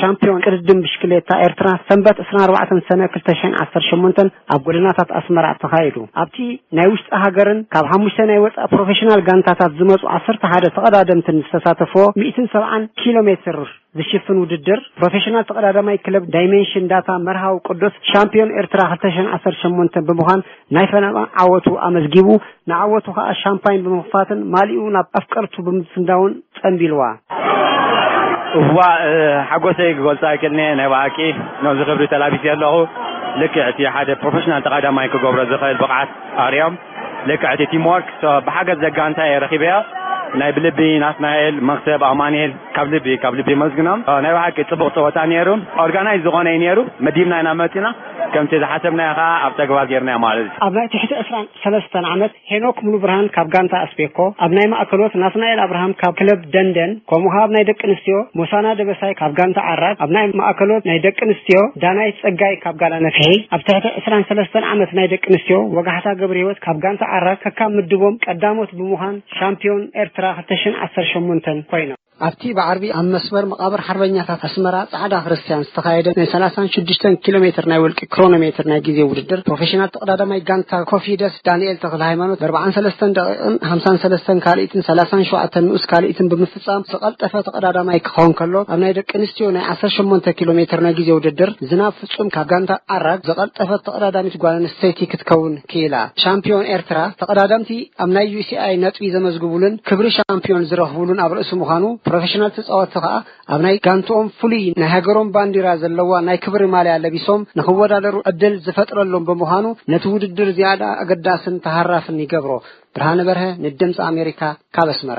ሻምፒዮን ቅድድም ብሽክሌታ ኤርትራ ሰንበት ዕስራን ኣርባዕተን ሰነ ክልተ ሽሕን ዓሰርተ ሸሞንተን ኣብ ጎደናታት ኣስመራ ተኻይዱ። ኣብቲ ናይ ውሽጢ ሃገርን ካብ ሓሙሽተ ናይ ወጻኢ ፕሮፌሽናል ጋንታታት ዝመጹ ዓሰርተ ሓደ ተቐዳደምትን ዝተሳተፎ ሚእትን ሰብዓን ኪሎ ሜትር ዝሽፍን ውድድር፣ ፕሮፌሽናል ተቐዳዳማይ ክለብ ዳይሜንሽን ዳታ መርሃዊ ቅዱስ ሻምፒዮን ኤርትራ ክልተ ሽሕን ዓሰርተ ሸሞንተ ብምዃን ናይ ፈለማ ዓወቱ ኣመዝጊቡ፣ ንዓወቱ ከኣ ሻምፓይን ብምኽፋትን ማሊኡ ናብ ኣፍቀርቱ ብምስንዳውን ጸንቢልዋ። እዋ፣ እ፣ ሓጎሰይ ክገልጾ ኣይክእልን እየ። ናይ ብሓቂ ነዚ ክብሪ ተላቢሰ ኣለኹ። ልክዕ እቲ ሓደ ፕሮፌሽናል ተቐዳማይ ክገብሮ ዝኽእል ብቕዓት ኣርዮም። ልክዕ እቲ ቲም ወርክ፣ ሶ፣ ብሓገዝ ዘጋንታ እየ ረኺበዮ። ናይ ብልቢ ናትናኤል፣ መክሰብ፣ ኣማኑኤል፣ ካብ ልቢ፣ ካብ ልቢ የመስግኖም። እ፣ ናይ ብሓቂ ጽቡቕ ጸወታ ነይሩ። ኦርጋናይዝ ዝኾነ እዩ ነይሩ። መዲብና ኢና መጺና። ከምቲ ዝሓሰብናዮ ከኣ ኣብ ተግባር ጌርናዮ ማለት እዩ። ኣብ ናይ ትሕቲ ዕስራን ሰለስተን ዓመት ሄኖክ ሙሉብርሃን ካብ ጋንታ ኣስቤኮ፣ ኣብ ናይ ማእከሎት ናትናኤል ኣብርሃም ካብ ክለብ ደንደን፣ ከምኡ ከኣ ኣብ ናይ ደቂ ኣንስትዮ ሞሳና ደበሳይ ካብ ጋንታ ዓራግ፣ ኣብ ናይ ማእከሎት ናይ ደቂ ኣንስትዮ ዳናይት ጸጋይ ካብ ጋላ ነፍሒ፣ ኣብ ትሕቲ ዕስራን ሰለስተን ዓመት ናይ ደቂ ኣንስትዮ ወጋሕታ ገብረህይወት ካብ ጋንታ ዓራግ ከካብ ምድቦም ቀዳሞት ብምዃን ሻምፒዮን ኤርትራ ክልተ ሽሕን ዓሰርተ ሸሞንተን ኮይኖም። ኣብቲ ብዓርቢ ኣብ መስመር መቓብር ሓርበኛታት ኣስመራ ጻዕዳ ክርስትያን ዝተኻየደ ናይ ሰላሳን ሽዱሽተን ኪሎ ሜትር ናይ ውልቂ ክሮኖሜትር ናይ ግዜ ውድድር፣ ፕሮፌሽናል ተቐዳዳማይ ጋንታ ኮፊደስ ዳንኤል ተኽለ ሃይማኖት ብ ኣርባዓን ሰለስተን ደቂቕን ሓምሳን ሰለስተን ካልኢትን ሰላሳን ሸውዓተን ንኡስ ካልኢትን ብምፍጻም ዝቐልጠፈ ተቐዳዳማይ ክኸውን ከሎ፣ ኣብ ናይ ደቂ ኣንስትዮ ናይ ዓሰርተ ሸሞንተ ኪሎ ሜትር ናይ ግዜ ውድድር ዝናብ ፍጹም ካብ ጋንታ ዓራግ ዝቐልጠፈት ተቐዳዳሚት ጓል ኣንስተይቲ ክትከውን ክኢላ። ሻምፒዮን ኤርትራ ተቐዳደምቲ ኣብ ናይ ዩ ሲ ኣይ ነጥቢ ዘመዝግቡሉን ክብሪ ሻምፒዮን ዝረኽቡሉን ኣብ ርእሲ ምዃኑ፣ ፕሮፌሽናል ተጻወትቲ ከኣ ኣብ ናይ ጋንትኦም ፍሉይ ናይ ሃገሮም ባንዲራ ዘለዋ ናይ ክብሪ ማልያ ለቢሶም ንኽወዳደሩ ዕድል ዝፈጥረሎም ብምዃኑ፣ ነቲ ውድድር ዝያዳ ኣገዳስን ተሃራፍን ይገብሮ። ብርሃነ በርሀ ንድምፂ ኣሜሪካ ካብ ኣስመራ።